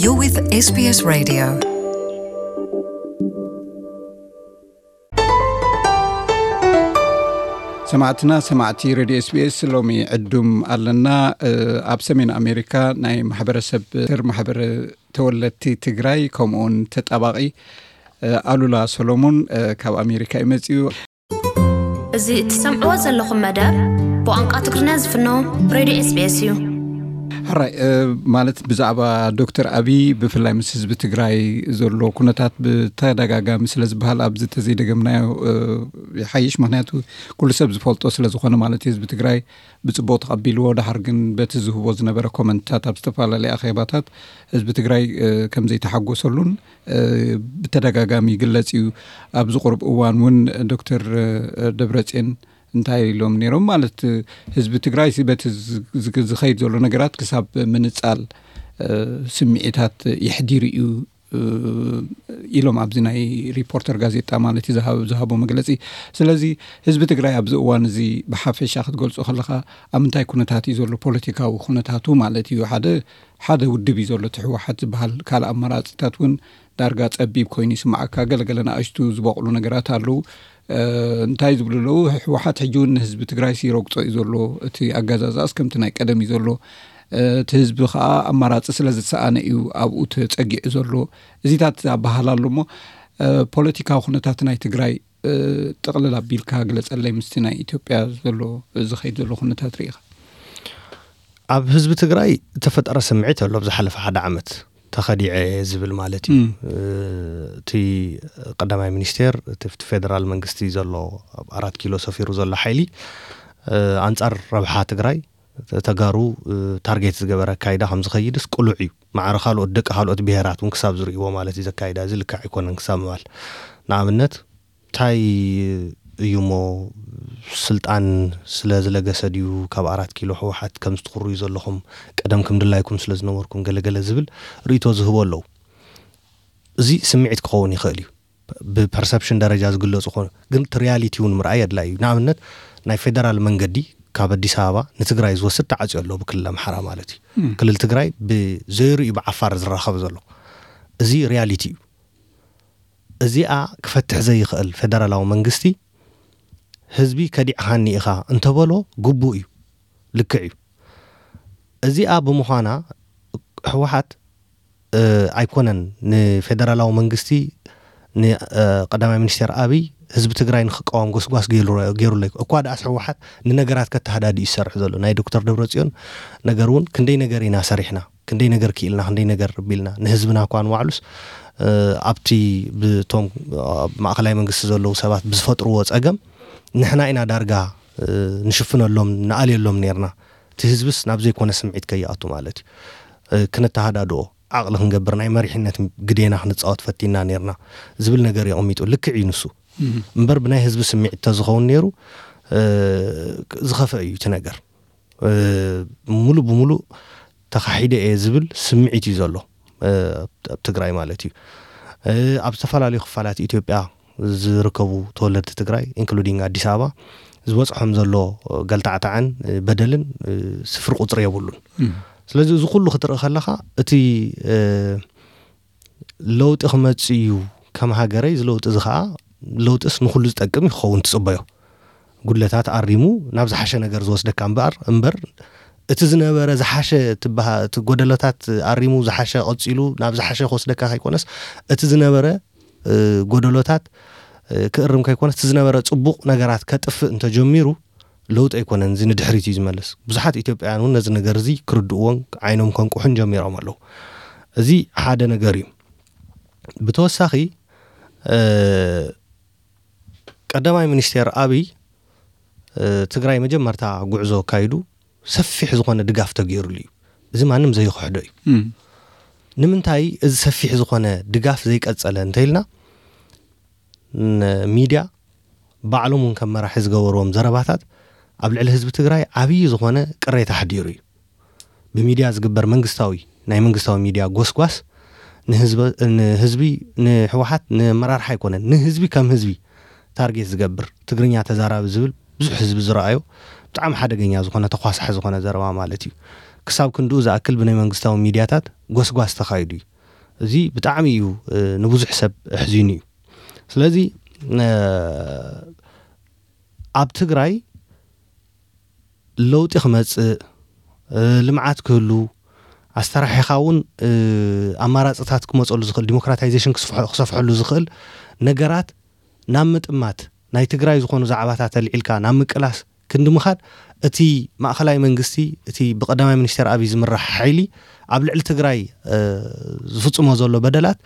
You're with S B S Radio. ሰማዕትና ሰማዕቲ ሬድዮ ኤስቢኤስ ሎሚ ዕዱም ኣለና። ኣብ ሰሜን ኣሜሪካ ናይ ማሕበረሰብ ትር ማሕበር ተወለድቲ ትግራይ ከምኡውን ተጣባቂ ኣሉላ ሰሎሞን ካብ ኣሜሪካ እዩ መፅኡ። እዚ እትሰምዕዎ ዘለኹም መደብ ብቋንቋ ትግርኛ ዝፍኖ ሬድዮ ኤስቢኤስ እዩ። ሕራይ ማለት ብዛዕባ ዶክተር ኣብይ ብፍላይ ምስ ህዝቢ ትግራይ ዘሎ ኩነታት ብተደጋጋሚ ስለ ዝበሃል ኣብዚ ተዘይደገምናዮ ይሓይሽ። ምክንያቱ ኩሉ ሰብ ዝፈልጦ ስለ ዝኾነ ማለት እዩ። ህዝቢ ትግራይ ብፅቡቅ ተቐቢልዎ፣ ድሓር ግን በቲ ዝህቦ ዝነበረ ኮመንትታት ኣብ ዝተፈላለዩ ኣኼባታት ህዝቢ ትግራይ ከም ዘይተሓጎሰሉን ብተደጋጋሚ ይግለጽ እዩ። ኣብዚ ቁሩብ እዋን እውን ዶክተር ደብረጽዮን እንታይ ኢሎም ነይሮም ማለት ህዝቢ ትግራይ በቲ ዝኸይድ ዘሎ ነገራት ክሳብ ምንጻል ስምዒታት የሕዲሩ እዩ ኢሎም ኣብዚ ናይ ሪፖርተር ጋዜጣ ማለት እዩ ዝሃቦ መግለጺ። ስለዚ ህዝቢ ትግራይ ኣብዚ እዋን እዚ ብሓፈሻ ክትገልጾ ከለኻ ኣብ ምንታይ ኩነታት እዩ ዘሎ ፖለቲካዊ ኩነታቱ ማለት እዩ ሓደ ሓደ ውድብ እዩ ዘሎ እቲ ህወሓት ዝበሃል ካልእ ኣማራፂታት እውን ዳርጋ ፀቢብ ኮይኑ ይስማዓካ። ገለገለ ንኣሽቱ ዝበቕሉ ነገራት ኣለዉ። እንታይ ዝብሉ ኣለዉ? ህወሓት ሕጂ እውን ንህዝቢ ትግራይ ሲረግፆ እዩ ዘሎ። እቲ ኣጋዛዛእስ ከምቲ ናይ ቀደም እዩ ዘሎ። እቲ ህዝቢ ከዓ ኣማራፂ ስለ ዝሰኣነ እዩ ኣብኡ ተፀጊዑ ዘሎ። እዚታት ኣበሃል ኣሎ እሞ ፖለቲካዊ ኩነታት ናይ ትግራይ ጥቕልል ኣቢልካ ግለፀለይ ምስቲ ናይ ኢትዮጵያ ዘሎ ዝኸይድ ዘሎ ኩነታት ርኢኻ? ኣብ ህዝቢ ትግራይ እተፈጠረ ስምዒት ኣሎ ኣብ ዝሓለፈ ሓደ ዓመት ተኸዲዐ ዝብል ማለት እዩ። እቲ ቀዳማይ ሚኒስቴር እቲ ፌደራል መንግስቲ ዘሎ ኣብ ኣራት ኪሎ ሰፊሩ ዘሎ ሓይሊ ኣንፃር ረብሓ ትግራይ ተጋሩ ታርጌት ዝገበረ ኣካይዳ ከም ዝኸይድስ ቅሉዕ እዩ። ማዕረ ካልኦት ደቂ ካልኦት ብሄራት እውን ክሳብ ዝርእይዎ ማለት እዩ ዘካይዳ እዚ ልክዕ ኣይኮነን ክሳብ ምባል ንኣብነት እንታይ እዩ እሞ ስልጣን ስለ ዝለገሰ ድዩ ካብ ኣራት ኪሎ ህወሓት ከም ዝትኽርዩ ዘለኹም ቀደም ከም ድላይኩም ስለ ዝነበርኩም ገለገለ ዝብል ርእቶ ዝህቦ ኣለዉ። እዚ ስምዒት ክኸውን ይኽእል እዩ። ብፐርሰፕሽን ደረጃ ዝግለጹ ኾኑ ግን እቲ ሪያሊቲ እውን ምርኣይ ኣድላይ እዩ። ንኣብነት ናይ ፌደራል መንገዲ ካብ ኣዲስ ኣበባ ንትግራይ ዝወስድ ተዓፅዮ ኣሎ ብክልል ኣምሓራ ማለት እዩ። ክልል ትግራይ ብዘይርኡ ብዓፋር ዝራኸብ ዘሎ እዚ ሪያሊቲ እዩ። እዚኣ ክፈትሕ ዘይኽእል ፌደራላዊ መንግስቲ ህዝቢ ከዲዕኻኒ ኢኻ እንተበሎ ግቡእ እዩ፣ ልክዕ እዩ። እዚኣ ብምዃና ህወሓት ኣይኮነን ንፌደራላዊ መንግስቲ ንቀዳማይ ሚኒስቴር ኣብይ ህዝቢ ትግራይ ንክቃወም ጎስጓስ ገይሩለይ እኳ ደኣስ ህወሓት ንነገራት ከተሃዳዲ እዩ ዝሰርሕ ዘሎ ናይ ዶክተር ደብረፅዮን ነገር እውን ክንደይ ነገር ኢና ሰሪሕና ክንደይ ነገር ክኢልና ክንደይ ነገር ቢልና ንህዝብና እኳ ንባዕሉስ ኣብቲ ብቶም ማእኸላይ መንግስቲ ዘለዉ ሰባት ብዝፈጥርዎ ፀገም ንሕና ኢና ዳርጋ ንሽፍነሎም ንኣልየሎም ነርና እቲ ህዝብስ ናብ ዘይኮነ ስምዒት ከይኣቱ ማለት እዩ። ክነተሃዳድኦ ዓቕሊ ክንገብር ናይ መሪሕነት ግዴና ክንፃወት ፈቲና ነርና ዝብል ነገር የቐሚጡ ልክዕ እዩ ንሱ። እምበር ብናይ ህዝቢ ስምዒት ተዝኸውን ነይሩ ዝኸፈ እዩ እቲ ነገር። ሙሉእ ብሙሉእ ተኻሒደ እየ ዝብል ስምዒት እዩ ዘሎ ኣብ ትግራይ ማለት እዩ። ኣብ ዝተፈላለዩ ክፋላት ኢትዮጵያ ዝርከቡ ተወለድቲ ትግራይ ኢንክሉዲንግ ኣዲስ ኣበባ ዝበፅሖም ዘሎ ገልታዕታዕን በደልን ስፍሪ ቁፅሪ የብሉን። ስለዚ እዚ ኩሉ ክትርኢ ከለካ እቲ ለውጢ ክመፅእ እዩ ከም ሃገረይ እዚ ለውጢ እዚ ከዓ ለውጢስ ንኩሉ ዝጠቅም እዩ ክኸውን ትፅበዮ። ጉድለታት ኣሪሙ ናብ ዝሓሸ ነገር ዝወስደካ እምበኣር እምበር እቲ ዝነበረ ዝሓሸ እቲ ጎደለታት ኣሪሙ ዝሓሸ ቀፂሉ ናብ ዝሓሸ ክወስደካ ከይኮነስ እቲ ዝነበረ ጎደሎታት ክእርም ከይኮነስ እቲ ዝነበረ ፅቡቕ ነገራት ከጥፍእ እንተጀሚሩ ለውጢ ኣይኮነን፣ እዚ ንድሕሪት እዩ ዝመልስ። ብዙሓት ኢትዮጵያውያን እውን ነዚ ነገር እዚ ክርድእዎን ዓይኖም ከንቁሑን ጀሚሮም ኣለዉ። እዚ ሓደ ነገር እዩ። ብተወሳኺ ቀዳማይ ሚኒስቴር ኣብይ ትግራይ መጀመርታ ጉዕዞ ኣካይዱ ሰፊሕ ዝኾነ ድጋፍ ተገይሩሉ እዩ። እዚ ማንም ዘይክሕዶ እዩ። ንምንታይ እዚ ሰፊሕ ዝኾነ ድጋፍ ዘይቀጸለ እንተኢልና ሚድያ ባዕሎም እውን ከም መራሒ ዝገበርዎም ዘረባታት ኣብ ልዕሊ ህዝቢ ትግራይ ዓብዪ ዝኾነ ቅሬታ ኣሕዲሩ እዩ። ብሚድያ ዝግበር መንግስታዊ ናይ መንግስታዊ ሚድያ ጎስጓስ ንህዝቢ ንህወሓት ንመራርሓ ኣይኮነን ንህዝቢ ከም ህዝቢ ታርጌት ዝገብር ትግርኛ ተዛራቢ ዝብል ብዙሕ ህዝቢ ዝረኣዮ ብጣዕሚ ሓደገኛ ዝኾነ ተኳሳሒ ዝኾነ ዘረባ ማለት እዩ። ክሳብ ክንድኡ ዝኣክል ብናይ መንግስታዊ ሚድያታት ጎስጓስ ተኻይዱ እዩ። እዚ ብጣዕሚ እዩ ንብዙሕ ሰብ ኣሕዚኑ እዩ። ስለዚ ኣብ ትግራይ ለውጢ ክመፅእ፣ ልምዓት ክህሉ፣ ኣስተራሒኻ እውን ኣማራፅታት ክመፀሉ ዝኽእል፣ ዲሞክራታይዜሽን ክሰፍሐሉ ዝኽእል ነገራት ናብ ምጥማት፣ ናይ ትግራይ ዝኾኑ ዛዕባታት ኣልዒልካ ናብ ምቅላስ ክንዲ ምኻድ፣ እቲ ማእኸላይ መንግስቲ፣ እቲ ብቀዳማይ ሚኒስትር ኣብይ ዝምራሕ ሓይሊ ኣብ ልዕሊ ትግራይ ዝፍፅሞ ዘሎ በደላት፣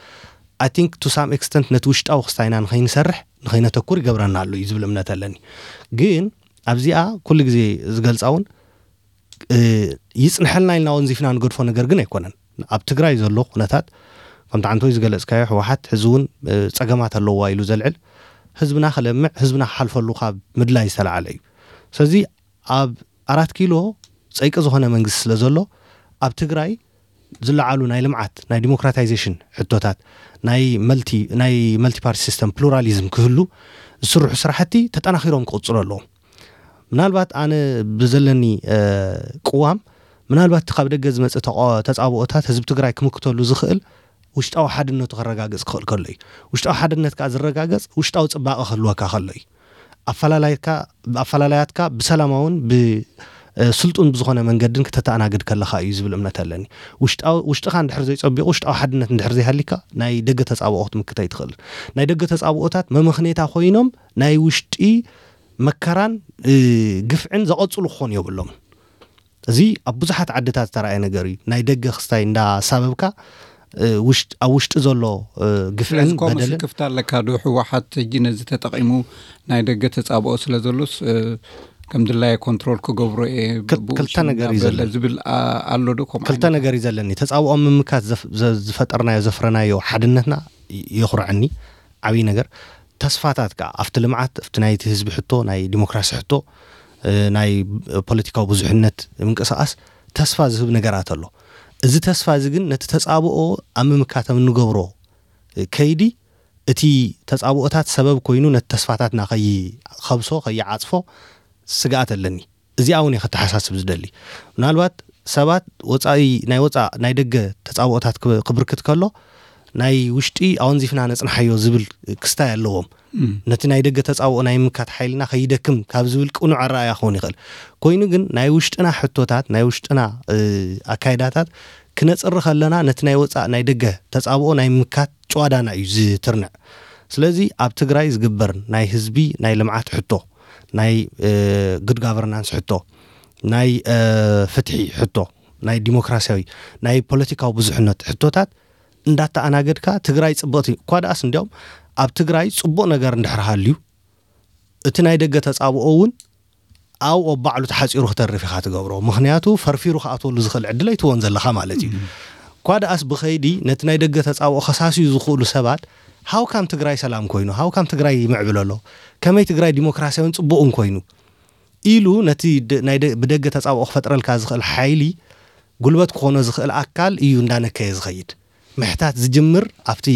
I think to some extent ነቲ ውሽጣዊ ክስታይና ንኸይንሰርሕ ንኸይነተኩር ይገብረና ኣሎ እዩ ዝብል እምነት ኣለኒ። ግን ኣብዚኣ ኩሉ ግዜ ዝገልፃ እውን ይፅንሐልና ኢልና ወንዚፍና ንገድፎ ነገር ግን ኣይኮነን። ኣብ ትግራይ ዘሎ ኩነታት ከምቲ ዓንቶይ ዝገለፅካዮ፣ ህወሓት ሕዚ እውን ፀገማት ኣለዋ ኢሉ ዘልዕል፣ ህዝብና ክለምዕ፣ ህዝብና ክሓልፈሉ ካብ ምድላይ ዝተላዓለ እዩ። ስለዚ ኣብ ኣራት ኪሎ ፀይቂ ዝኾነ መንግስቲ ስለ ዘሎ፣ ኣብ ትግራይ ዝለዓሉ ናይ ልምዓት፣ ናይ ዲሞክራታይዜሽን ሕቶታት፣ ናይ መልቲ ናይ መልቲፓርቲ ሲስተም፣ ፕሉራሊዝም ክህሉ ዝስርሑ ስራሕቲ ተጠናኺሮም ክቕፅሉ ኣለዎም። ምናልባት ኣነ ብዘለኒ ቅዋም፣ ምናልባት እቲ ካብ ደገ ዝመፅእ ተጻብኦታት ህዝቢ ትግራይ ክምክተሉ ዝኽእል ውሽጣዊ ሓድነቱ ከረጋግፅ ክኽእል ከሎ እዩ። ውሽጣዊ ሓድነት ከዓ ዝረጋገፅ ውሽጣዊ ፅባቐ ክህልወካ ከሎ እዩ። ኣፈላላያትካ ብሰላማውን ብስልጡን ብዝኾነ መንገድን ክተተኣናግድ ከለኻ እዩ ዝብል እምነት ኣለኒ። ውሽጥኻ እንድሕር ዘይፀቢቑ፣ ውሽጣዊ ሓድነት እንድሕር ዘይሃሊካ፣ ናይ ደገ ተፃብኦ ክትምክት ኣይትኽእልን። ናይ ደገ ተፃብኦታት መመኽኔታ ኮይኖም ናይ ውሽጢ መከራን ግፍዕን ዘቐፅሉ ክኾኑ የብሎም። እዚ ኣብ ብዙሓት ዓድታት ዝተረኣየ ነገር እዩ። ናይ ደገ ክስታይ እንዳሳበብካ ኣብ ውሽጢ ዘሎ ግፍዕን በደልን ክፍታ ኣለካ ዶ? ህወሓት ሕጂ ነዚ ተጠቒሙ ናይ ደገ ተፃብኦ ስለ ዘሎስ ከም ድላየ ኮንትሮል ክገብሮ እየ ክልተ ነገር እዩ ዘለን። ዝብል ኣሎ ዶ? ከምኡ ክልተ ነገር እዩ ዘለኒ። ተፃብኦ ምምካት ዝፈጠርናዮ ዘፍረናዮ ሓድነትና የኹርዐኒ። ዓብዪ ነገር ተስፋታት ከዓ ኣብቲ ልምዓት፣ ኣብቲ ናይቲ ህዝቢ ሕቶ፣ ናይ ዲሞክራሲ ሕቶ፣ ናይ ፖለቲካዊ ብዙሕነት ምንቅስቃስ ተስፋ ዝህብ ነገራት ኣሎ። እዚ ተስፋ እዚ ግን ነቲ ተፃብኦ ኣብ ምምካት ኣብ እንገብሮ ከይዲ፣ እቲ ተፃብኦታት ሰበብ ኮይኑ ነቲ ተስፋታትና ከይኸብሶ፣ ከይዓፅፎ ስግኣት ኣለኒ። እዚኣ እውን እየ ከተሓሳስብ ዝደሊ። ምናልባት ሰባት ወፃኢ፣ ናይ ወፃእ ናይ ደገ ተፃብኦታት ክብርክት ከሎ፣ ናይ ውሽጢ ኣወንዚፍና ነፅንሓዮ ዝብል ክስታይ ኣለዎም። ነቲ ናይ ደገ ተፃብኦ ናይ ምካት ሓይልና ከይደክም ካብ ዝብል ቅኑዕ ኣረኣያ ክኸውን ይኽእል። ኮይኑ ግን ናይ ውሽጥና ሕቶታት፣ ናይ ውሽጥና ኣካይዳታት ክነፅሪ ከለና፣ ነቲ ናይ ወፃእ ናይ ደገ ተፃብኦ ናይ ምካት ጨዋዳና እዩ ዝትርንዕ። ስለዚ ኣብ ትግራይ ዝግበር ናይ ህዝቢ ናይ ልምዓት ሕቶ፣ ናይ ጉድ ጋቨርናንስ ሕቶ፣ ናይ ፍትሒ ሕቶ፣ ናይ ዲሞክራሲያዊ፣ ናይ ፖለቲካዊ ብዙሕነት ሕቶታት እንዳተኣናገድካ፣ ትግራይ ፅብቕቲ እኳ ደኣስ፣ እንዲያውም ኣብ ትግራይ ፅቡቕ ነገር እንድሕር ሃልዩ፣ እቲ ናይ ደገ ተፃብኦ እውን ኣብኡ ኣብ ባዕሉ ተሓፂሩ ክተርፍ ኢኻ ትገብሮ። ምኽንያቱ ፈርፊሩ ክኣትወሉ ዝኽእል ዕድል ኣይትወን ዘለኻ ማለት እዩ። እኳ ደኣስ ብኸይዲ ነቲ ናይ ደገ ተፃብኦ ከሳስዩ ዝኽእሉ ሰባት፣ ሃው ካም ትግራይ ሰላም ኮይኑ፣ ሃው ካም ትግራይ ይምዕብል ኣሎ፣ ከመይ ትግራይ ዲሞክራሲያውን ፅቡቕን ኮይኑ ኢሉ ነቲ ብደገ ተፃብኦ ክፈጥረልካ ዝኽእል ሓይሊ፣ ጉልበት ክኾኖ ዝኽእል ኣካል እዩ እንዳነከየ ዝኸይድ። ምሕታት ዝጅምር ኣብቲ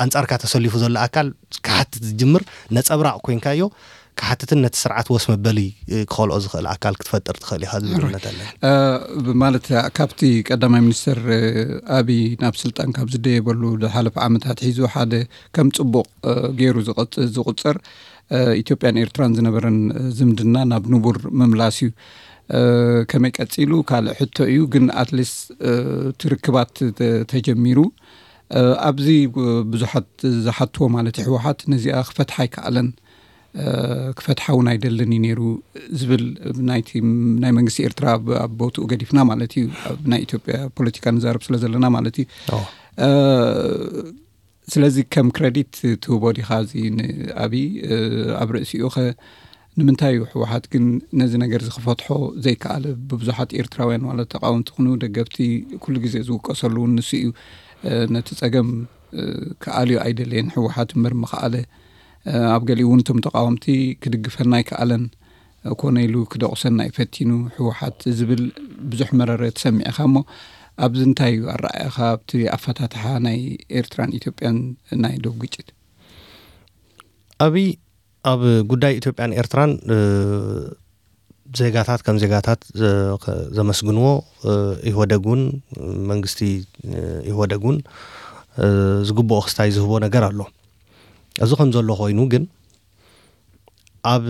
ኣንጻርካ ተሰሊፉ ዘሎ ኣካል ክሓትት ዝጅምር ነጸብራቕ ኮይንካዮ፣ ክሓትትን ነቲ ስርዓት ወስ መበሊ ክኸልኦ ዝኽእል ኣካል ክትፈጥር ትኽእል ኢኻ ዝብል እምነት ኣለኒ። ማለት ካብቲ ቀዳማይ ሚኒስትር ኣብይ ናብ ስልጣን ካብ ዝደየበሉ ዝሓለፈ ዓመታት ሒዙ ሓደ ከም ጽቡቕ ገይሩ ዝቕጽር ኢትዮጵያን ኤርትራን ዝነበረን ዝምድና ናብ ንቡር ምምላስ እዩ። ከመይ ቀጺሉ ካልእ ሕቶ እዩ፣ ግን ኣትሊስት እቲ ርክባት ተጀሚሩ ኣብዚ ብዙሓት ዝሓትዎ ማለት ህወሓት ነዚኣ ክፈትሓ ኣይከኣለን፣ ክፈትሓ እውን ኣይደልን እዩ ነይሩ ዝብል ናይ መንግስቲ ኤርትራ ኣብ ቦትኡ ገዲፍና ማለት እዩ። ኣብ ናይ ኢትዮጵያ ፖለቲካ ንዛረብ ስለ ዘለና ማለት እዩ። ስለዚ ከም ክረዲት ትህቦ ዲኻ እዚ ንኣብይ ኣብ ርእሲኡ ኸ ንምንታይ እዩ ህወሓት ግን ነዚ ነገር እዚ ክፈትሖ ዘይከኣለ? ብብዙሓት ኤርትራውያን ማለት ተቃወምቲ ኩኑ ደገፍቲ ኩሉ ግዜ ዝውቀሰሉ እውን ንሱ እዩ። ነቲ ጸገም ክኣልዮ ኣይደለየን ህወሓት እምበር ምኽኣለ። ኣብ ገሊኡ እውን እቶም ተቃወምቲ ክድግፈና ኣይከኣለን። ኮነ ኢሉ ክደቑሰና እዩ ፈቲኑ ህወሓት ዝብል ብዙሕ መረረ ትሰምዕ ኢኻ። እሞ ኣብዚ እንታይ እዩ ኣረኣእያኻ ኣብቲ ኣፈታትሓ ናይ ኤርትራን ኢትዮጵያን ናይ ዶብ ግጭት? ኣብይ ኣብ ጉዳይ ኢትዮጵያን ኤርትራን ዜጋታት ከም ዜጋታት ዘመስግንዎ፣ ኢህወደግ እውን፣ መንግስቲ ኢህወደግ እውን ዝግብኦ ክስታይ ዝህቦ ነገር ኣሎ። እዚ ከም ዘሎ ኮይኑ ግን፣ ኣብ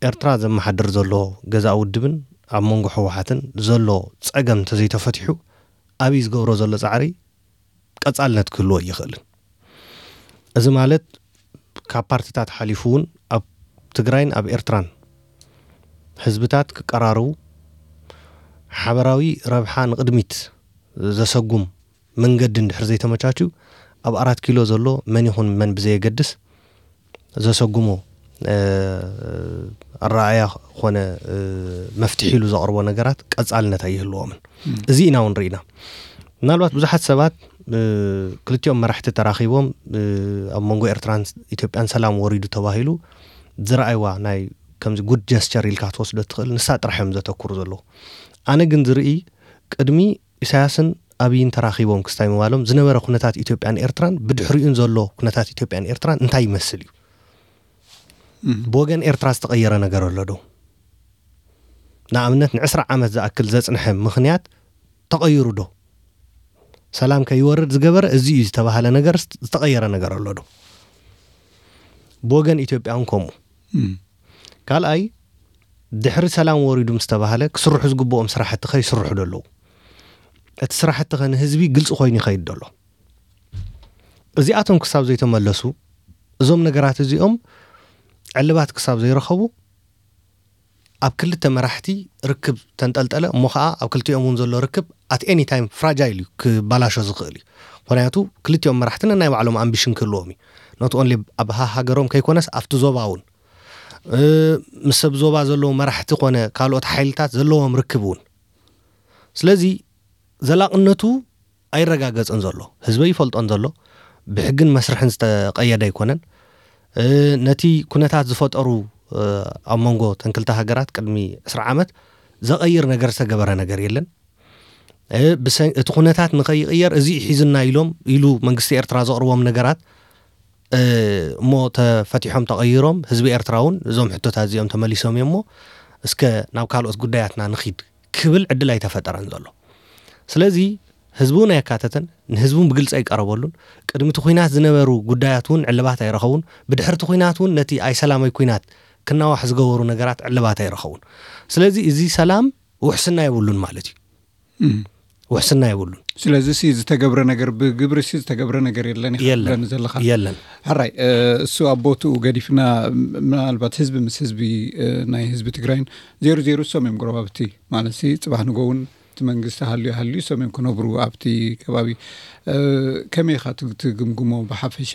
ኤርትራ ዘመሓድር ዘሎ ገዛእ ውድብን ኣብ መንጎ ህወሓትን ዘሎ ጸገም እንተዘይተፈቲሑ፣ ኣብይ ዝገብሮ ዘሎ ጻዕሪ ቀጻልነት ክህልዎ ኣይኽእልን። እዚ ማለት፣ ካብ ፓርቲታት ሓሊፉ እውን ኣብ ትግራይን ኣብ ኤርትራን ህዝብታት ክቀራርቡ፣ ሓበራዊ ረብሓ ንቕድሚት ዘሰጉም መንገዲ እንድሕር ዘይተመቻችው፣ ኣብ ኣራት ኪሎ ዘሎ መን ይኹን መን ብዘየገድስ፣ ዘሰጉሞ ኣረኣእያ ኾነ መፍትሒ ኢሉ ዘቕርቦ ነገራት ቀጻልነት ኣይህልዎምን። እዚ ኢና እውን ርኢና። ምናልባት ብዙሓት ሰባት፣ ክልቲኦም መራሕቲ ተራኺቦም፣ ኣብ መንጎ ኤርትራን ኢትዮጵያን ሰላም ወሪዱ ተባሂሉ ዝረኣይዋ ናይ ከምዚ ጉድ ጀስቸር ኢልካ ክትወስዶ ትኽእል፣ ንሳ ጥራሕ እዮም ዘተኩሩ ዘለዉ። ኣነ ግን ዝርኢ፣ ቅድሚ ኢሳያስን ኣብይን ተራኺቦም ክስታይ ምባሎም ዝነበረ ኩነታት ኢትዮጵያን ኤርትራን ብድሕሪኡን ዘሎ ኩነታት ኢትዮጵያን ኤርትራን እንታይ ይመስል እዩ? ብወገን ኤርትራ ዝተቐየረ ነገር ኣሎ ዶ? ንኣብነት፣ ንዕስራ ዓመት ዝኣክል ዘጽንሐ ምኽንያት ተቐይሩ ዶ? ሰላም ከይወርድ ዝገበረ እዚ እዩ ዝተባህለ ነገር፣ ዝተቐየረ ነገር ኣሎ ዶ? ብወገን ኢትዮጵያ እውን ከምኡ። ካልኣይ፣ ድሕሪ ሰላም ወሪዱ ምስ ተባህለ ክስርሑ ዝግብኦም ስራሕቲ ከ ይስርሑ ዶ ኣለዉ? እቲ ስራሕቲ ከ ንህዝቢ ግልፂ ኮይኑ ይኸይድ ዶ ኣሎ? እዚኣቶም ክሳብ ዘይተመለሱ፣ እዞም ነገራት እዚኦም ዕልባት ክሳብ ዘይረኸቡ፣ ኣብ ክልተ መራሕቲ ርክብ ተንጠልጠለ እሞ ኸዓ ኣብ ክልቲኦም እውን ዘሎ ርክብ at any time fragile እዩ፣ ክባላሾ ዝኽእል እዩ። ምኽንያቱ ክልቲኦም መራሕቲ ነናይ ባዕሎም ኣምቢሽን ክህልዎም እዩ። Not only ኣብ ሃ-፣ ሃገሮም ከይኮነስ ኣብቲ ዞባ እውን፣ እ፣ ምስ ሰብ ዞባ ዘለዉ መራሕቲ ኮነ ካልኦት ሓይልታት ዘለዎም ርክብ እውን። ስለዚ ዘላቕነቱ ኣይረጋገጽን ዘሎ፣ ህዝበ ይፈልጦን ዘሎ፣ ብሕግን መስርሕን ዝተቐየደ ኣይኮነን። እ፣ ነቲ ኩነታት ዝፈጠሩ፣ እ፣ ኣብ መንጎ ተን ክልተ ሃገራት ቅድሚ ዕስራ ዓመት ዘቐይር ነገር ዝተገበረ ነገር የለን። እ፣ ብሰ-፣ እቲ ኩነታት ንኸይቕየር እዚ ሒዝና ኢሎም ኢሉ መንግስቲ ኤርትራ ዘቕርቦም ነገራት፣ እ፣ እሞ ተፈቲሖም ተቐይሮም፣ ህዝቢ ኤርትራ እውን እዞም ሕቶታት እዚኦም ተመሊሶም እዮም እሞ እስከ ናብ ካልኦት ጉዳያትና ንኺድ ክብል ዕድል ኣይተፈጠረን ዘሎ። ስለዚ ህዝቢ እውን ኣየካተተን፣ ንህዝቢ እውን ብግልፂ ኣይቀረበሉን። ቅድሚ እቲ ኹናት ዝነበሩ ጉዳያት እውን ዕልባት ኣይረኸቡን። ብድሕሪ እቲ ኹናት እውን ነቲ ኣይሰላማዊ ኹናት ክናዋሕ ዝገበሩ ነገራት ዕልባት ኣይረኸቡን። ስለዚ እዚ ሰላም ውሕስና የብሉን ማለት እዩ። እም። ውሕስና የብሉን። ስለዚ ሲ ዝተገብረ ነገር፣ ብግብሪ ሲ ዝተገብረ ነገር የለን ኢኻ የለን። ትብለኒ ዘለኻ? የለን። ሕራይ፣ እ፣ እሱ ኣብ ቦትኡ ገዲፍና፣ ም-፣ ምናልባት ህዝቢ ምስ ህዝቢ፣ እ፣ ናይ ህዝቢ ትግራይን ዜሩ ዜሩ እሶም እዮም ጎረባብቲ። ማለት ሲ ጽባሕ ንጎ እውን እቲ መንግስቲ ሃልዩ ሃልዩ እሶም እዮም ክነብሩ ኣብቲ ከባቢ። እ፣ ከመይ ኢኻ ት-፣ ትግምግሞ ብሓፈሻ?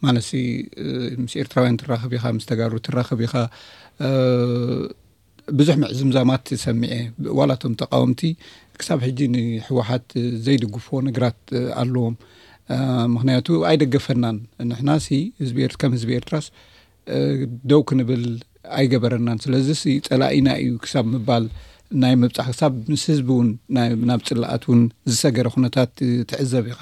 ማለት ሲ፣ እ፣ ምስ ኤርትራውያን ትራኸብ ኢኻ፣ ምስ ተጋሩ ትራኸብ ኢኻ፣ እ፣ ብዙሕ ምዕዝምዛማት ሰሚዐ። ዋላ እቶም ተቃወምቲ ክሳብ ሕጂ ንህወሓት ዘይድግፍዎ ነገራት ኣለዎም። እ፣ ምኽንያቱ ኣይደገፈናን። ንሕናሲ ህዝቢ ኤርት-፣ ከም ህዝቢ ኤርትራስ፣ እ፣ ደው ክንብል ኣይገበረናን። ስለዚሲ ጸላኢና እዩ ክሳብ ምባል ናይ ምብጻሕ፣ ክሳብ ምስ ህዝቢ እውን ናይ፣ ናብ ጽላኣት እውን ዝሰገረ ኩነታት ትዕዘብ ኢኻ።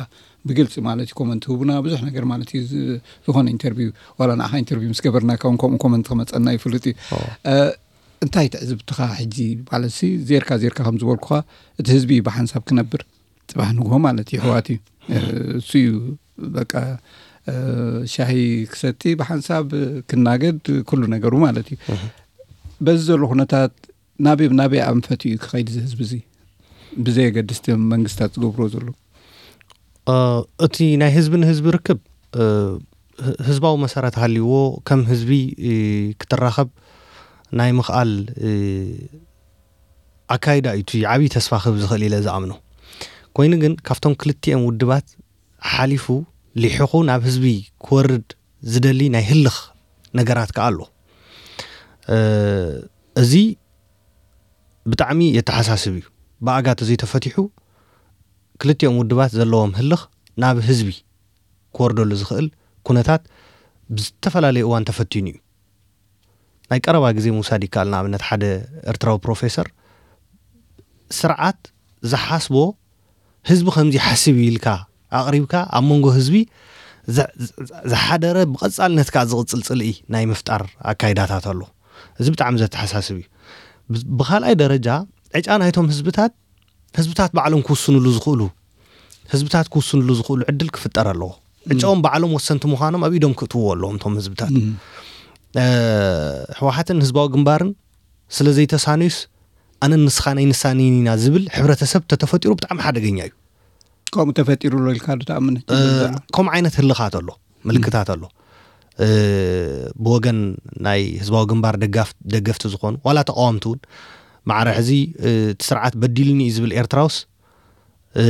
ብግልጺ ማለት እዩ፣ ኮመንት ህቡና ብዙሕ ነገር ማለት እዩ። ዝ-፣ ዝኾነ ኢንተርቪው፣ ዋላ ንዓኻ ኢንተርቪው ምስ ገበርናካ እውን ከምኡ ኮመንት ክመጸና ይፍልጥ እዩ። ኦ። እ፣ እንታይ ትዕዝብትኻ ሕጂ? ማለትሲ ዜርካ ዜርካ ከም ዝበልኩኻ፣ እቲ ህዝቢ እዩ ብሓንሳብ ክነብር ጽባሕ ንግሆ ማለት እዩ፣ ኣሕዋት እዩ። እ፣ እሱ እዩ በቃ፣ እ፣ ሻሂ ክሰቲ ብሓንሳብ ክናገድ ኩሉ ነገሩ ማለት እዩ። እህ። በዚ ዘሎ ኩነታት ናበይ፣ ናበይ ኣንፈት እዩ ክኸይድ እዚ ህዝቢ እዚ? ብዘየገድስ እቲ መንግስታት ዝገብርዎ ዘሎ። እ፣ እቲ ናይ ህዝቢ ንህዝቢ ርክብ፣ እ፣ ህ-፣ ህዝባዊ መሰረት ሃልይዎ ከም ህዝቢ፣ እ፣ ክትራኸብ ናይ ምኽኣል፣ እ፣ ኣካይዳ እዩ እቲ ዓብዪ ተስፋ ክህብ ዝኽእል ኢለ ዝኣምኖ። ኮይኑ ግን ካብቶም ክልቲኦም ውድባት ሓሊፉ ሊሒኹ ናብ ህዝቢ ክወርድ ዝደሊ ናይ ህልኽ ነገራት ከኣ ኣሎ። እ፣ እዚ ብጣዕሚ የተሓሳስብ እዩ። ብኣጋ ተዘይተፈቲሑ ክልቲኦም ውድባት ዘለዎም ህልኽ ናብ ህዝቢ ክወርደሉ ዝኽእል ኩነታት ብዝተፈላለየ እዋን ተፈቲኑ እዩ። ናይ ቀረባ ግዜ ምውሳድ ይከኣል። ንኣብነት ሓደ ኤርትራዊ ፕሮፌሰር ስርዓት ዝሓስቦ ህዝቢ ከምዚ ይሓስብ እዩ ኢልካ ኣቕሪብካ ኣብ መንጎ ህዝቢ ዘ-፣ ዘ-፣ ዝሓደረ ብቐጻልነት ከኣ ዝቕጽል ጽልኢ ናይ ምፍጣር ኣካይዳታት ኣሎ። እዚ ብጣዕሚ ዘተሓሳስብ እዩ። ብ- ብኻልኣይ ደረጃ ዕጫ ናይቶም ህዝብታት ህዝብታት ባዕሎም ክውስንሉ ዝኽእሉ ህዝብታት ክውስንሉ ዝኽእሉ ዕድል ክፍጠር ኣለዎ። ዕጫኦም ባዕሎም ወሰንቲ ምዃኖም ኣብ ኢዶም ክእትዎ ኣለዎም እቶም ህዝብታት። እ፣ ህወሓትን ህዝባዊ ግንባርን ስለ ዘይተሳነዩስ ኣነን ንስኻን ኣይንሳነይን ኢና ዝብል ሕብረተሰብ ተተፈጢሩ ብጣዕሚ ሓደገኛ እዩ። ከምኡ ተፈጢሩ ኣሎ ኢልካ ዶ ትኣምን? እቲ እ፣ ዝብል ዘሎ? ከምኡ ዓይነት ህልኻት ኣሎ፣ ምልክታት ኣሎ። እ፣ ብወገን ናይ ህዝባዊ ግንባር ደጋፍ ደገፍቲ ዝኾኑ ዋላ ተቃወምቲ እውን ማዕረ ሕዚ እ፣ እቲ ስርዓት በዲልኒ እዩ ዝብል ኤርትራውስ እ፣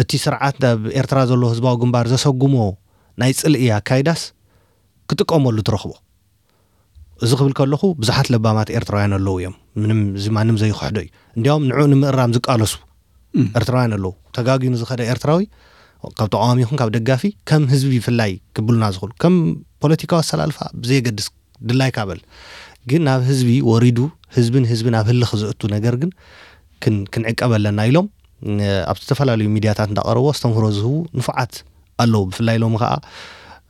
እቲ ስርዓት ኣብ ኤርትራ ዘሎ ህዝባዊ ግንባር ዘሰጉሞ ናይ ጽልኢ ኣካይዳስ ክጥቀመሉ ትረኽቦ። እዚ ክብል ከለኹ ብዙሓት ለባማት ኤርትራውያን ኣለዉ እዮም። ምንም እዚ ማንም ዘይክሕዶ እዩ። እንዲያውም ንዕኡ ንምእራም ዝቃለሱ ኤርትራውያን ኣለዉ። ተጋጊኑ ዝኸደ ኤርትራዊ ካብ ተቃዋሚ ይኹን ካብ ደጋፊ ከም ህዝቢ ብፍላይ ክብሉና ዝኽእሉ ከም ፖለቲካዊ ኣሰላልፋ ብዘየገድስ ድላይካ በል። ግን ናብ ህዝቢ ወሪዱ ህዝብን ህዝብን ኣብ ህልኽ ዘእቱ ነገር ግን ክን- ክንዕቀብ ኣለና ኢሎም እ፣ ኣብ ዝተፈላለዩ ሚድያታት እንዳቀረቡ ኣስተምህሮ ዝህቡ ንፉዓት ኣለዉ። ብፍላይ ሎሚ ከዓ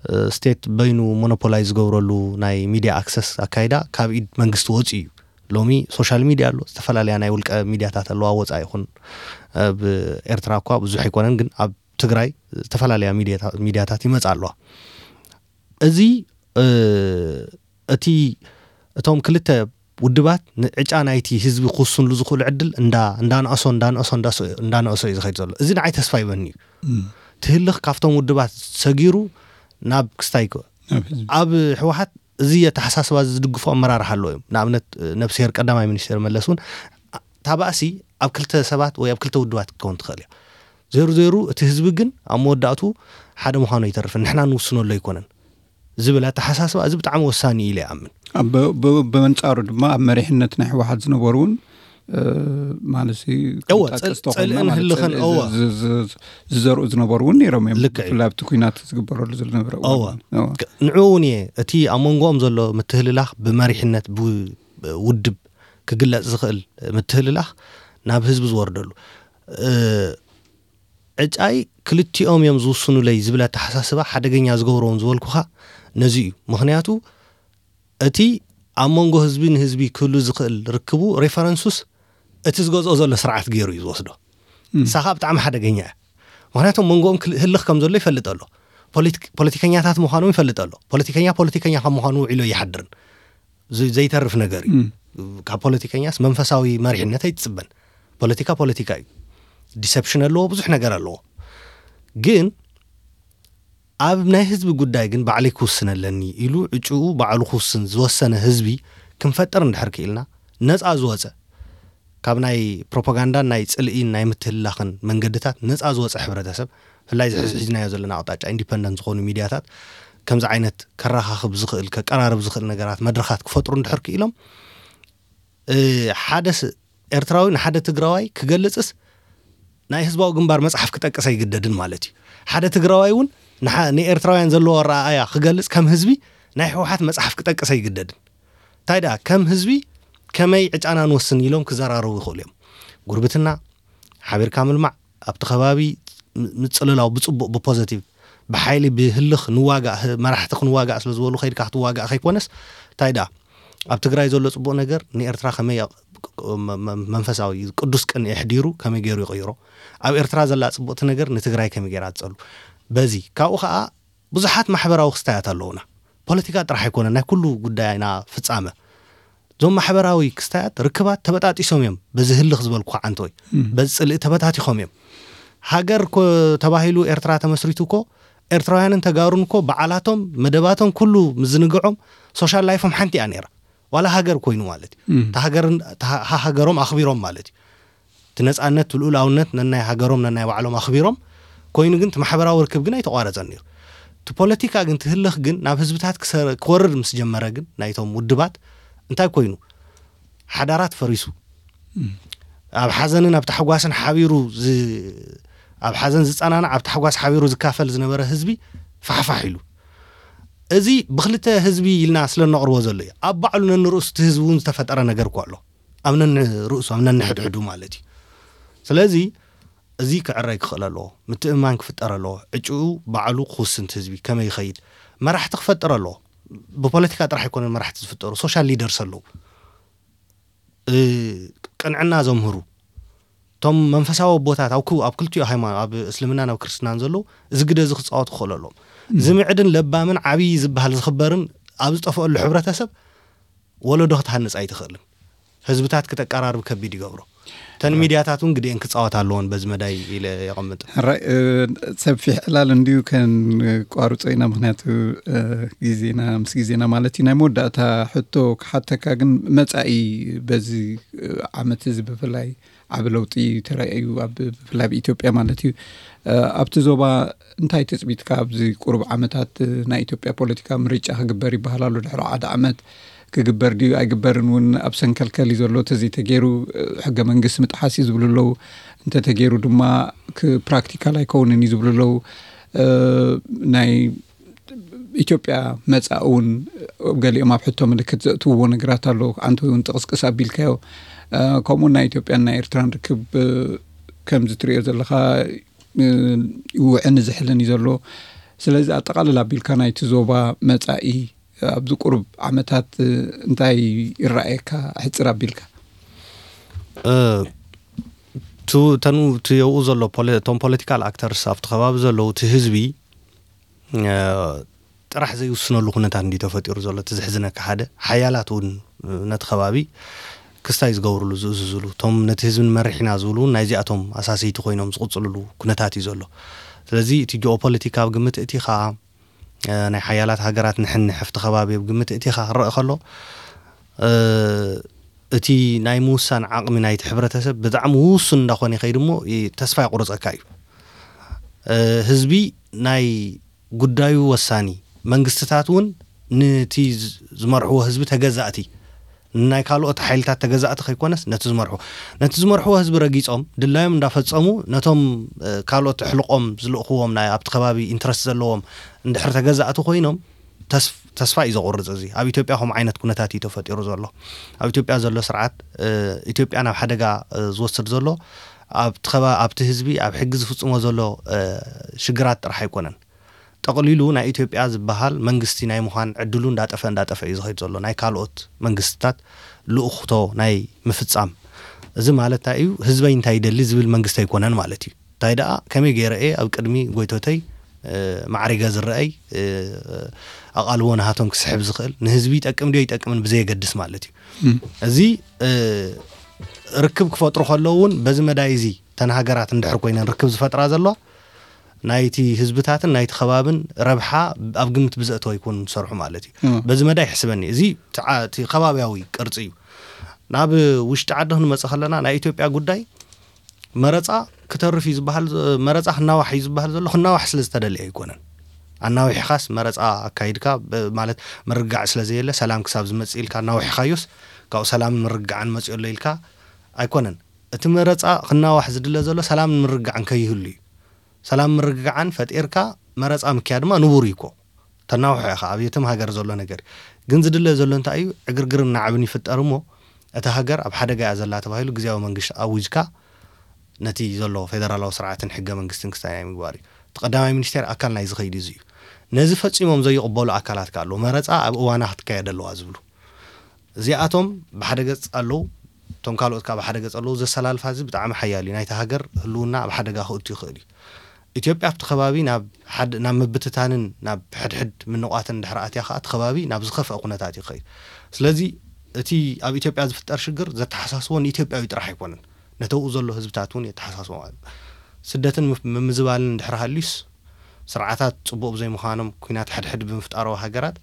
እ፣ ስቴት በይኑ ሞኖፖላይ ዝገብረሉ ናይ ሚድያ ኣክሰስ ኣካይዳ ካብ ኢድ መንግስቲ ወፂኡ እዩ። ሎሚ ሶሻል ሚድያ ኣሎ፣ ዝተፈላለያ ናይ ውልቀ ሚድያታት ኣለዋ። ወፃኢ ይኹን ኣብ ኤርትራ እኳ ብዙሕ ኣይኮነን፣ ግን ኣብ ትግራይ ዝተፈላለያ ሚድያታ- ሚድያታት ይመፃ ኣለዋ። እዚ እ፣ እቲ እቶም ክልተ ውድባት ንዕጫ ናይቲ ህዝቢ ክውስንሉ ዝኽእሉ ዕድል እንዳ እንዳነእሶ እንዳነእሶ እንዳስ- እንዳነእሶ እዩ ዝኸይድ ዘሎ። እዚ ንዓይ ተስፋ ይበኒ እዩ። ትህልኽ ካብቶም ውድባት ሰጊሩ ናብ ክስታይ ከ- ናብ ህዝቢ ኣብ ህወሓት እዚ ኣተሓሳስባ እዚ ዝድግፉ ኣመራርሓ ኣለዉ እዮም። ንኣብነት ነብስሄር ቀዳማይ ሚኒስትር መለስ እውን እታ ባእሲ ኣብ ክልተ ሰባት ወይ ኣብ ክልተ ውድባት ክትከውን ትኽእል እያ። ዘይሩ ዘይሩ እቲ ህዝቢ ግን ኣብ መወዳእቱ ሓደ ምዃኑ ኣይተርፍን፣ ንሕና ንውስነሉ ኣይኮነን ዝብል ኣተሓሳስባ እዚ ብጣዕሚ ወሳኒ እዩ ኢለ ይኣምን። ኣብ ብ- ብ- ብመንጻሩ ድማ ኣብ መሪሕነት ናይ ህወሓት ዝነበሩ እውን እ፣ ማለት ሲ- እወ፣ ክጠቅስ ጽል- ተኾይና ጽልእን ማለት ህልኽን፣ ዝ- እወ። ዝ- ዝ- ዝዘርኡ ዝነበሩ እውን ነይሮም እዮም። ልክዕ እዩ። ብፍላይ ኣብቲ ኩናት ዝግበረሉ ዝነበረ እዋን እወ። እውን። እወ። ክ- ንዕኡ እውን እየ እቲ ኣብ መንጎኦም ዘሎ ምትህልላኽ ብመሪሕነት ብውድብ ክግለጽ ዝኽእል ምትህልላኽ ናብ ህዝቢ ዝወርደሉ እ፣ ዕጫይ ክልቲኦም እዮም ዝውስኑለይ ዝብል ኣተሓሳስባ ሓደገኛ ዝገብሮም ዝበልኩኻ ነዚ እዩ። ምኽንያቱ እቲ ኣብ መንጎ ህዝቢ ንህዝቢ ክህሉ ዝኽእል ርክቡ ሬፈረንሱስ እቲ ዝገዝኦ ዘሎ ስርዓት ገይሩ እዩ ዝወስዶ። ንሳ ከዓ ብጣዕሚ ሓደገኛ እያ። ምኽንያቱ ኣብ መንጎኦም ክል- ህልኽ ከም ዘሎ ይፈልጥ ኣሎ። ፖለቲክ- ፖለቲከኛታት ምዃኖም ይፈልጥ ኣሎ። ፖለቲከኛ ፖለቲከኛ ካብ ምዃኑ ውዒሉ ኣይሓድርን። ዝ- ዘይተርፍ ነገር እዩ። ካብ ፖለቲከኛስ መንፈሳዊ መሪሕነት ኣይትጽበን። ፖለቲካ ፖለቲካ እዩ። ዲሰፕሽን ኣለዎ፣ ብዙሕ ነገር ኣለዎ። ግን ኣብ ናይ ህዝቢ ጉዳይ ግን ባዕለይ ክውስን ኣለኒ ኢሉ ዕጭኡ ባዕሉ ክውስን ዝወሰነ ህዝቢ ክንፈጥር እንድሕር ክኢልና ነፃ ዝወፀ ካብ ናይ ፕሮፓጋንዳን ናይ ፅልኢን ናይ ምትህልላኽን መንገድታት ነፃ ዝወፀ ሕብረተሰብ ብፍላይ እዚ ሕዚ ሒዝናዮ ዘለና ኣቕጣጫ ኢንዲፐንደንት ዝኾኑ ሚድያታት ከምዚ ዓይነት ከራኻኽብ ዝኽእል ከቀራርብ ዝኽእል ነገራት መድረኻት ክፈጥሩ እንድሕር ክኢሎም እ፣ ሓደ ስ- ኤርትራዊ ንሓደ ትግራዋይ ክገልጽስ ናይ ህዝባዊ ግንባር መጽሓፍ ክጠቅስ ኣይግደድን ማለት እዩ። ሓደ ትግራዋይ እውን ንሓ- ንኤርትራውያን ዘለዎ ኣረኣእያ ክገልጽ ከም ህዝቢ ናይ ህወሓት መጽሓፍ ክጠቅስ ኣይግደድን። እንታይ ደኣ ከም ህዝቢ ከመይ ዕጫና ንወስን ኢሎም ክዘራረቡ ይኽእሉ እዮም። ጉርብትና፣ ሓቢርካ ምልማዕ፣ ኣብቲ ከባቢ ም- ምጽልላው ብጽቡቕ ብፖዘቲቭ ብሓይሊ ብህልኽ ንዋጋእ ህ- መራሕቲ ክንዋጋእ ስለ ዝበሉ ከይድካ ክትዋጋእ ከይኮነስ እንታይ ደኣ ኣብ ትግራይ ዘሎ ጽቡቕ ነገር ንኤርትራ ከመይ ያ- መ- መ- መንፈሳዊ ቅዱስ ቅን የሕዲሩ ከመይ ገይሩ ይቕይሮ ኣብ ኤርትራ ዘላ ጽቡቕቲ ነገር ንትግራይ ከመይ ገይራ ትጸሉ በዚ ካብኡ ከዓ ብዙሓት ማሕበራዊ ክስታያት ኣለውና ፖለቲካ ጥራሕ ኣይኮነ ናይ ኩሉ ጉዳይና ፍጻመ እዞም ማሕበራዊ ክስታያት ርክባት ተበጣጢሶም እዮም በዚ ህልኽ ዝበልኩ ዓንተወይ በዚ ጽልኢ ተበታቲኾም እዮም ሃገር እኮ ተባሂሉ ኤርትራ ተመስሪቱ እኮ ኤርትራውያንን ተጋሩን እኮ በዓላቶም መደባቶም ኩሉ ምዝንግዖም ሶሻል ላይፎም ሓንቲ እያ ነይራ ዋላ ሃገር ኮይኑ ማለት እዩ እታ ሃገርን እታ ሃ- ሃገሮም ኣኽቢሮም ማለት እዩ እቲ ነፃነት እቲ ልኡላውነት ነናይ ሃገሮም ነናይ ባዕሎም ኣኽቢሮም ኮይኑ ግን እቲ ማሕበራዊ ርክብ ግን ኣይተቋረፀን ነይሩ እቲ ፖለቲካ ግን ትህልኽ ግን ናብ ህዝብታት ክሰ- ክወርድ ምስ ጀመረ ግን ናይቶም ውድባት እንታይ ኮይኑ ሓዳራት ፈሪሱ ኣብ ሓዘንን ኣብ ታሕጓስን ሓቢሩ ዝ- ኣብ ሓዘን ዝፀናናዕ ኣብ ታሕጓስ ሓቢሩ ዝካፈል ዝነበረ ህዝቢ ፋሕፋሕ ኢሉ እዚ ብክልተ ህዝቢ ኢልና ስለ ነቕርቦ ዘሎ እዩ ኣብ ባዕሉ ነንርእሱ እቲ ህዝቢ እውን ዝተፈጠረ ነገር እኳ ኣሎ ኣብ ነንርእሱ ኣብ ነንሕድሕዱ ማለት እዩ ስለዚ እዚ ክዕረይ ክኽእል ኣለዎ ምትእምማን ክፍጠር ኣለዎ ዕጭኡ ባዕሉ ክውስንቲ ህዝቢ ከመይ ይኸይድ መራሕቲ ክፈጥር ኣለዎ ብፖለቲካ ጥራሕ ኣይኮነን መራሕቲ ዝፍጠሩ ሶሻል ሊደርስ ኣለዉ ቅንዕና ዘምህሩ፣ እቶም መንፈሳዊ ኣቦታት ኣብ ክልቲኡ ሃይማኖት፣ ኣብ እስልምናን ኣብ ክርስትናን ዘለዉ፣ እዚ ግደ እዚ ክፃወቱ ክኽእሉ ኣለዎም። ዝምዕድን ለባምን ዓብዪ ዝበሃል ዝኽበርን ኣብ ዝጠፍአሉ ሕብረተሰብ ወለዶ ክትሃንፅ ኣይትኽእልን። ህዝብታት ክተቀራርብ ከቢድ ይገብሮ። እተን ሚድያታት እውን ግዴን ክፃወት ኣለዎን በዚ መዳይ ኢለ የቐምጥ። ሕራይ። ሰፊሕ ዕላል እንድዩ፣ ከንቋርጾ ኢና፣ ምክንያቱ ግዜና ምስ ግዜና ማለት እዩ። ናይ መወዳእታ ሕቶ ክሓተካ ግን፣ መጻኢ በዚ ዓመት እዚ ብፍላይ ዓቢ ለውጢ ተራእዩ፣ ብፍላይ ኣብ ኢትዮጵያ ማለት እዩ። ኣብቲ ዞባ እንታይ ትጽቢትካ ኣብዚ ቁሩብ ዓመታት? ናይ ኢትዮጵያ ፖለቲካ ምርጫ ክግበር ይበሃል ኣሎ ድሕሪ ሓደ ዓመት። ክግበር ድዩ ኣይግበርን እውን ኣብ ሰንከልከል እዩ ዘሎ። ተዘይተገይሩ ሕገ መንግስቲ ምጥሓስ እዩ ዝብሉ ኣለዉ። እንተተገይሩ ድማ ፕራክቲካል ኣይከውንን እዩ ዝብሉ ኣለዉ። ናይ ኢትዮጵያ መፃእ እውን ገሊኦም ኣብ ሕቶ ምልክት ዘእትውዎ ነገራት ኣሎ። ኣንተ እውን ጥቕስቅስ ኣቢልካዮ። ከምኡ ናይ ኢትዮጵያን ናይ ኤርትራን ርክብ ከምዚ ትሪኦ ዘለካ ውዕን ዝሕልን እዩ ዘሎ። ስለዚ ኣጠቓልል ኣቢልካ ናይቲ ዞባ መፃኢ ኣብዚ ቁሩብ ዓመታት እንታይ ይረኣየካ? ሕፅር ኣቢልካ። እቱ ተኑ እቲ የብኡ ዘሎ ፖለ- እቶም ፖለቲካል ኣክተርስ ኣብቲ ከባቢ ዘለዉ እቲ ህዝቢ ጥራሕ ዘይውስነሉ ኩነታት እንዲ ተፈጢሩ ዘሎ፣ እቲ ዘሕዝነካ ሓደ ሓያላት እውን ነቲ ከባቢ ክስታይ ዝገብርሉ ዝእዝዝሉ፣ እቶም ነቲ ህዝቢ ንመርሕ ኢና ዝብሉ እውን ናይዚኣቶም ኣሳሰይቲ ኮይኖም ዝቕፅልሉ ኩነታት እዩ ዘሎ። ስለዚ እቲ ጂኦፖለቲካ ኣብ ግምት እቲ ከዓ ናይ ሓያላት ሃገራት ንሕንሕ ኣብቲ ከባቢ ኣብ ግምት እቲ ከዓ ክረአ ከሎ እቲ ናይ ምውሳን ዓቕሚ ናይቲ ሕብረተሰብ ብጣዕሚ ውሱን እንዳኾነ ይኸይድ እሞ ተስፋ ይቁርፀካ እዩ። ህዝቢ ናይ ጉዳዩ ወሳኒ፣ መንግስትታት እውን ነቲ ዝመርሕዎ ህዝቢ ተገዛእቲ፣ ናይ ካልኦት ሓይልታት ተገዛእቲ ከይኮነስ ነቲ ዝመርሑ ነቲ ዝመርሕዎ ህዝቢ ረጊፆም ድላዮም እንዳፈፀሙ ነቶም ካልኦት ኣሕልቆም ዝልእኽዎም ናይ ኣብቲ ከባቢ ኢንትረስት ዘለዎም እንድሕር ተገዛእቲ ኮይኖም ተስፋ እዩ ዘቑርፅ። እዚ ኣብ ኢትዮጵያ ከምኡ ዓይነት ኩነታት እዩ ተፈጢሩ ዘሎ። ኣብ ኢትዮጵያ ዘሎ ስርዓት ኢትዮጵያ ናብ ሓደጋ ዝወስድ ዘሎ ኣብቲ ህዝቢ ኣብ ሕጊ ዝፍፅሞ ዘሎ ሽግራት ጥራሕ ኣይኮነን። ጠቕሊሉ ናይ ኢትዮጵያ ዝበሃል መንግስቲ ናይ ምዃን ዕድሉ እንዳጠፈ እንዳጠፈ እዩ ዝኸይድ ዘሎ፣ ናይ ካልኦት መንግስትታት ልእኽቶ ናይ ምፍፃም። እዚ ማለት እንታይ እዩ? ህዝበይ እንታይ ይደሊ ዝብል መንግስቲ ኣይኮነን ማለት እዩ። እንታይ ደኣ ከመይ ገይረ እየ ኣብ ቅድሚ ጎይቶተይ ማዕሪገ ዝረአይ፣ ኣቓልቦ ናሃቶም ክስሕብ ዝኽእል፣ ንህዝቢ ይጠቅም ድዮ ይጠቅምን ብዘየገድስ ማለት እዩ። እዚ ርክብ ክፈጥሩ ከለዉ እውን በዚ መዳይ እዚ እተን ሃገራት እንድሕር ኮይነን ርክብ ዝፈጥራ ዘለዋ ናይቲ ህዝብታትን ናይቲ ከባብን ረብሓ ኣብ ግምት ብዘእተወ ኣይኮኑን ዝሰርሑ ማለት እዩ። በዚ መዳይ ይሕስበኒ። እዚ እቲ ከባብያዊ ቅርፂ እዩ። ናብ ውሽጢ ዓዲ ክንመፅእ ከለና ናይ ኢትዮጵያ ጉዳይ መረፃ ክተርፍ እዩ ዝበሃል፣ መረፃ ክናዋሕ እዩ ዝበሃል ዘሎ ክናዋሕ ስለ ዝተደለየ ኣይኮነን። ኣናዊሕኻስ መረፃ ኣካይድካ ማለት ምርግጋዕ ስለ ዘየለ ሰላም ክሳብ ዝመፅእ ኢልካ ኣናዊሕኻዮስ ካብኡ ሰላምን ምርግጋዕን መፅኡ ኣሎ ኢልካ ኣይኮነን። እቲ መረፃ ክናዋሕ ዝድለ ዘሎ ሰላምን ምርግጋዕን ከይህሉ እዩ። ሰላም ምርግጋዕን ፈጢርካ መረፃ ምክያ ድማ ንቡር እዩ እኮ። ተናውሖ ኢኻ ኣብ የትም ሃገር ዘሎ ነገር። ግን ዝድለ ዘሎ እንታይ እዩ? ዕግርግርን ናዕብን ይፍጠር እሞ እቲ ሃገር ኣብ ሓደጋ እያ ዘላ ተባሂሉ ግዜያዊ መንግስቲ ኣዊጅካ ነቲ ዘሎ ፌደራላዊ ስርዓትን ሕገ መንግስትን ክስታይ ናይ ምግባር እዩ። እቲ ቀዳማይ ሚኒስቴር ኣካል ናይ ዝኸይድ እዚ እዩ። ነዚ ፈፂሞም ዘይቕበሉ ኣካላት ከ ኣለዉ። መረፃ ኣብ እዋና ክትካየድ ኣለዋ ዝብሉ እዚኣቶም ብሓደ ገፅ ኣለዉ። እቶም ካልኦት ከዓ ብሓደ ገፅ ኣለዉ። ዘሰላልፋ እዚ ብጣዕሚ ሓያል እዩ። ናይታ ሃገር ህልውና ኣብ ሓደጋ ክእቱ ይኽእል እዩ። ኢትዮጵያ ኣብቲ ከባቢ ናብ ምብትታንን ናብ ሕድሕድ ምንቋትን ድሕሪ ኣትያ ከዓ እቲ ከባቢ ናብ ዝኸፍአ ኩነታት እዩ ክኸይድ። ስለዚ እቲ ኣብ ኢትዮጵያ ዝፍጠር ሽግር ዘተሓሳስቦ ንኢትዮጵያዊ ጥራሕ ኣይኮነን፣ ነተብኡ ዘሎ ህዝብታት እውን የተሓሳስቦ ማለት እዩ። ስደትን ምምዝባልን እንድሕር ሃልዩስ ስርዓታት ፅቡቕ ብዘይምዃኖም ኩናት ሕድሕድ ብምፍጣሩ ሃገራት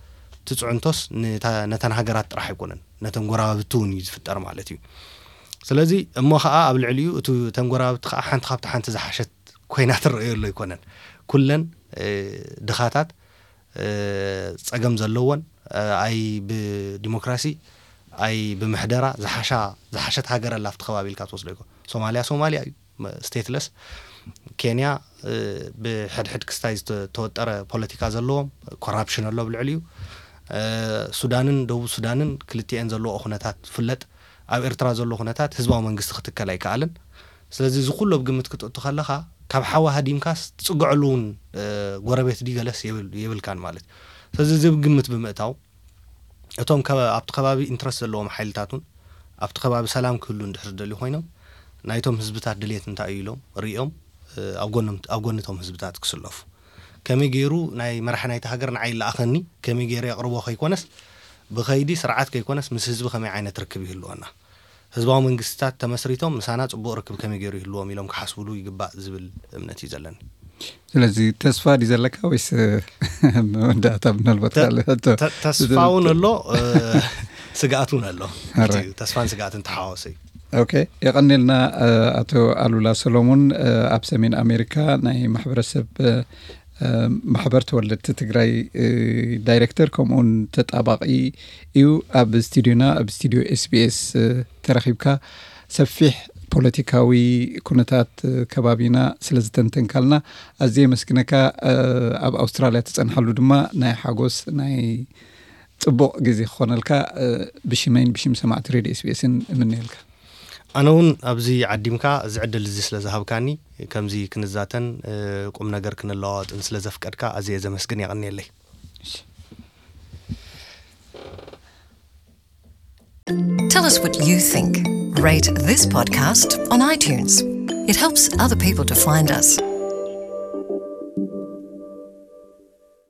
ትፅዕንቶስ ነተን ሃገራት ጥራሕ ኣይኮነን፣ ነተን ጎረባብቲ እውን እዩ ዝፍጠር ማለት እዩ። ስለዚ እሞ ከዓ ኣብ ልዕሊኡ እቲ ተንጎራብቲ ከዓ ሓንቲ ካብቲ ሓንቲ ዝሓሸት ኮይና ትረእዮ ኣሎ ኣይኮነን። ኩለን ድኻታት ፀገም ዘለዎን ኣይ ብዲሞክራሲ ኣይ ብምሕደራ ዝሓሸት ሃገር ኣላ ኣብቲ ከባቢ ኢልካ ትወስዶ ይኮ። ሶማሊያ ሶማሊያ እዩ፣ ስቴትለስ። ኬንያ ብሕድሕድ ክስታይ ዝተወጠረ ፖለቲካ ዘለዎም፣ ኮራፕሽን ኣሎ ብልዕሊኡ። ሱዳንን ደቡብ ሱዳንን ክልቲኤን ዘለዎ ኩነታት ፍለጥ። ኣብ ኤርትራ ዘሎ ኩነታት ህዝባዊ መንግስቲ ክትከል ኣይከኣልን። ስለዚ እዚ ኩሉ ኣብ ግምት ክትእቱ ከለኻ ካብ ሓዊ ሃዲምካስ ትፅግዐሉ እውን ጎረቤት ድዩ ገለስ የብልካን ማለት እዩ። ስለዚ እዚ ኣብ ግምት ብምእታው እቶም ኣብቲ ከባቢ ኢንትረስት ዘለዎም ሓይልታት እውን ኣብቲ ከባቢ ሰላም ክህሉ እንድሕር ዝደልዩ ኮይኖም፣ ናይቶም ህዝብታት ድሌት እንታይ እዩ ኢሎም ርእዮም፣ እ፣ ኣብ ጎኖም፣ ኣብ ጎንቶም ህዝብታት ክስለፉ። ከመይ ገይሩ ናይ መራሒ ናይቲ ሃገር ንዓይ ይለኣኸኒ፣ ከመይ ገይሩ የቕርቦ ከይኮነስ፣ ብኸይዲ ስርዓት ከይኮነስ፣ ምስ ህዝቢ ከመይ ዓይነት ርክብ ይህልወና? ህዝባዊ መንግስትታት ተመስሪቶም ምሳና ጽቡቕ ርክብ ከመይ ገይሩ ይህልዎም ኢሎም ክሓስብሉ ይግባእ ዝብል እምነት እዩ ዘለኒ። ስለዚ ተስፋ ድዩ ዘለካ ወይስ መወዳእታ ምናልባት ተ-፣ ካልእ ሕቶ? ተ-፣ ተስፋ እውን ኣሎ፣ እ፣ ስግኣት እውን ኣሎ። ኣረ። ተስፋን ስግኣትን ተሓዋወሰ እዩ። ኦኬ፣ የቐኔልና፣ እ፣ ኣቶ ኣሉላ ሰሎሞን፣ እ፣ ኣብ ሰሜን ኣሜሪካ ናይ ማሕበረሰብ፣ እ፣ እ፣ ማሕበር ተወለድቲ ትግራይ፣ እ፣ ዳይሬክተር ከምኡውን ተጣባቒ እዩ። ኣብ ስቱዲዮና፣ ኣብ ስቱዲዮ ኤስቢኤስ፣ እ፣ ተረኺብካ ሰፊሕ ፖለቲካዊ ኩነታት፣ እ፣ ከባቢና ስለ ዝተንተንካልና ኣዝየ የመስግነካ። እ፣ ኣብ ኣውስትራልያ ትጸንሓሉ ድማ ናይ ሓጎስ ናይ ጽቡቕ ግዜ ክኾነልካ፣ እ፣ ብሽመይን ብሽም ሰማዕቲ ሬድዮ ኤስቢኤስን እምነየልካ። ኣነ እውን ኣብዚ ዓዲምካ እዚ ዕድል እዚ ስለ ዝሃብካኒ፣ ከምዚ ክንዛተን፣ እ፣ ቁም ነገር ክንለዋወጥን ስለ ዘፍቀድካ ኣዝየ ዘመስግን። የቐንየለይ። Tell us what you think. Rate this podcast on iTunes. It helps other people to find us.